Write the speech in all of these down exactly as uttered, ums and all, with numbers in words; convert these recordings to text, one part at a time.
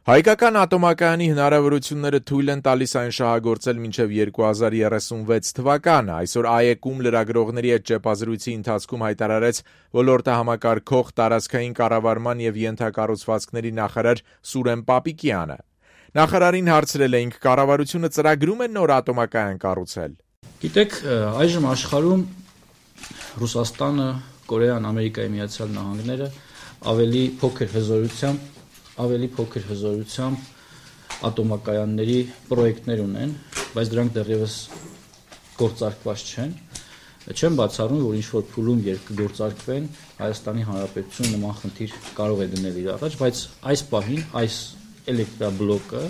Հայկական ատոմակայանի հնարավորությունները թույլ են տալիս այն շահագործել մինչև երկու հազար երեսունվեց թվականը։ Այսօր ԱԵԿ-ում լրագրողների հետ ճեպազրույցի ընթացքում հայտարարեց ոլորտը համակարգող տարածքային կառավարման և ենթակառուցվածքների նախարար Սուրեն Պապիկյանը։ Նախարարին հարցրել էինք, կառավարությունը ծրագրում է նոր ատոմակայան կառուցել։ Գիտեք, այժմ աշխարհում Ռուսաստանը, Կորեան, Ամերիկայի Միացյալ Նահանգները ավելի փոքր հզորությամբ ավելի փոքր հզորությամբ ատոմակայանների պրոյեկտներ ունեն, բայց դրանք դեռևս գործարկված չեն։ Չեմ բացառում, որ ինչ-որ փուլում երբ կգործարկվեն, Հայաստանի Հանրապետությունը նման խնդիր կարող է դնել իր առաջ, բայց այս պահին այս էլեկտրաբլոկը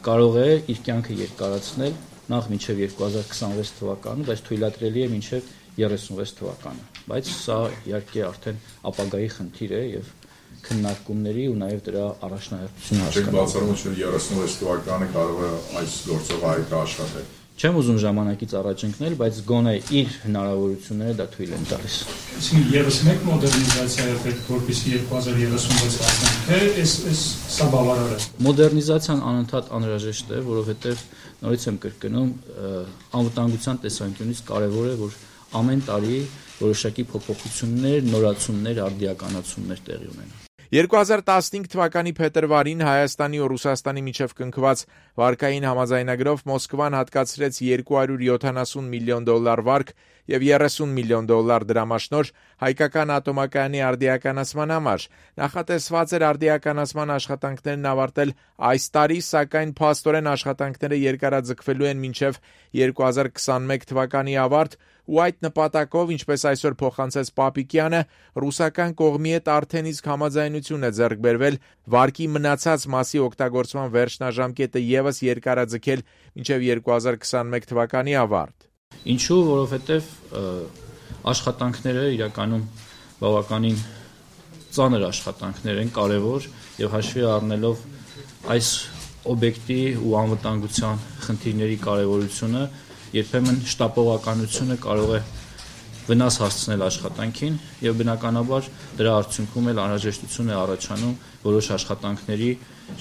կարող է իր կյանքը երկարացնել նախ մինչև երկու հազար քսանվեց թվականը, բայց թույլատրելի է մինչև երեսունվեց թվականը։ Բայց սա իհարկե արդեն ապագայի խնդիր է եւ քննարկումների ու նաև դրա առաջնահերթությունը հասկանալու։ Չեք բացառում, որ երեսունվեց թվականը կարող է այս գործով ԱԵԿ-ը աշխատել։ Չեմ ուզում ժամանակից առաջ ընկնել, բայց գոնե իր հնարավորությունները դա թույլ են տալիս։ Այսինքն ևս մեկ մոդեռնիզացիա է պետք, որպեսզի երկու հազար երեսունվեց հասնենք, թե այս այս սա բավարար է։ Մոդեռնիզացիան անընդհատ անհրաժեշտ է, որովհետև նորից եմ կրկնում, անվտանգության տեսանկյունից կարևոր է, որ ամեն տարի որոշակի փոփոխություններ, նորացումներ, արդիականացումներ տեղի ունենան։ երկու հազար տասնհինգ թվականի փետրվարին Հայաստանի ու Ռուսաստանի միջև կնքված վարկային համաձայնագրով Մոսկվան հատկացրեց երկու հարյուր յոթանասուն միլիոն դոլար վարկ և երեսուն միլիոն դոլար դրամաշնորհ հայկական ատոմակայանի արդիականացման համար։ Նախատեսված էր արդիականացման աշխատանքներն ավարտել այս տարի, սակայն փաստորեն աշխատանքները երկարաձգվելու են մինչև երկու հազար քսանմեկ թվականի ավարտ, ու այդ նպատակով, ինչպես այսօր փոխանցեց Պապիկյանը, ռուսական կողմի հետ արդեն իսկ համաձայնություն է ձեռք բերվել վարկի մնացած մասի օգտագործման վերջնաժամկետը ևս երկարաձգել մինչև երկու հազար քսանմեկ թվականի ավարտ։ Ինչու, որովհետև աշխատանքները իրականում բավականին ծանր աշխատանքներ են, կարևոր եւ հաշվի առնելով այս օբյեկտի ու անվտանգության խնդիրների կարևորությունը, երբեմն շտապողականությունը կարող է վնաս հասցնել աշխատանքին եւ բնականաբար դրա արդյունքում էլ անհրաժեշտություն է առաջանում որոշ աշխատանքների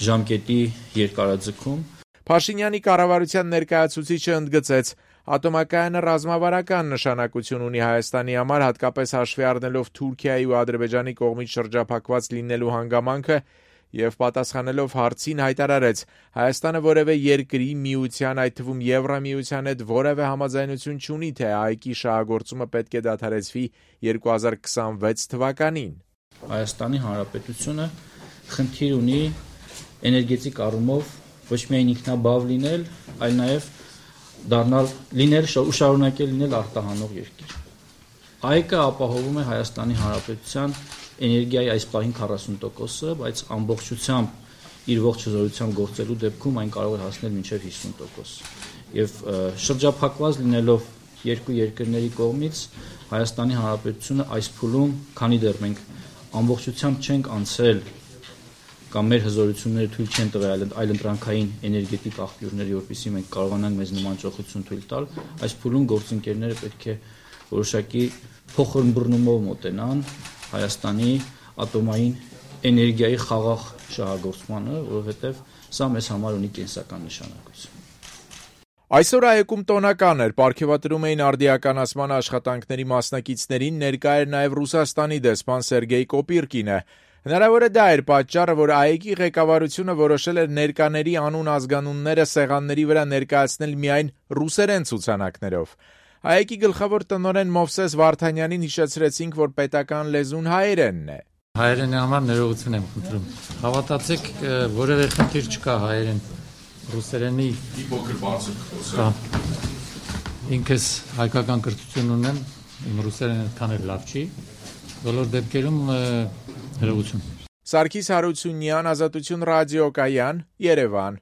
ժամկետի երկարաձգում։ Փաշինյանի կառավարության ներկայացուցիչը ընդգծեց, ատոմակայանը ռազմավարական նշանակություն ունի Հայաստանի համար, հատկապես հաշվի առնելով Թուրքիայի ու Ադրբեջանի կողմից շրջափակված լինելու հանգամանքը, և պատասխանելով հարցին հայտարարեց, Հայաստանը որևէ երկրի, միության, այդ թվում Եվրամիության հետ որևէ համաձայնություն չունի, թե ԱԵԿ-ի շահագործումը պետք է դադարեցվի երկու հազար քսանվեց թվականին։ Հայաստանի Հանրապետությունը խնդիր ունի էներգետիկ առումով ոչ միայն ինքնաբավ լինել, այլ նաև դառնալ լինել ու շարունակել լինել արտահանող երկիր։ ԱԵԿ-ը ապահովում է Հայաստանի Հանրապետության էներգիայի այս պահին քառասուն տոկոսը, բայց ամբողջությամբ իր ողջ հզորությամբ գործելու դեպքում այն կարող է հասնել մինչև հիսուն տոկոս։ Եվ շրջափակված լինելով երկու երկրների կողմից Հայաստանի Հանրապետությունը այս փուլում, քանի դեռ մենք ամբողջությամբ չենք անցել կամ մեր հզորությունները թույլ չեն տվել այլընտրանքային էներգետիկ աղբյուրների, որպեսզի մենք կարողանանք մեզ նման ճոխություն թույլ տալ, այս փուլում գործընկերները պետք է որոշակի փոխըմբռնումով մոտենան Հայաստանի ատոմային էներգիայի խաղաղ շահագործմանը, որովհետև սա մեզ համար ունի կենսական նշանակություն։ Այսօր ԱԵԿ-ում տոնական էր, պարգևատրում էին արդիականացման աշխատանքների մասնակիցներին, ներկա էր նաև Ռուսաստանի դեսպան Սերգեյ Կոպիրկինը։ Հնարավոր է դա էր պատճառը, որ ԱԵԿ-ի ղեկավարությունը որոշել էր ներկաների անուն ազգանունները սեղանների վրա ներկայացնել միայն ռուսերեն ցուցանակներով։ ԱԵԿ-ի գլխավոր տնօրեն Մովսես Վարդանյանին հիշեցրեցինք, որ պետական լեզուն հայերենն է։ Հայերենի համար ներողություն եմ խնդրում։ Հավատացեք, որևէ խնդիր չկա հայերեն ռուսերենի փոքր բարձր խոսքը։ Ինքս հայկական կրթություն ունեմ, իմ ռուսերենը այդքան էլ լավ չի։ Բոլոր դեպքերում ներողություն։ Սարգիս Հարությունյան, Ազատություն ռադիոկայան, Երևան։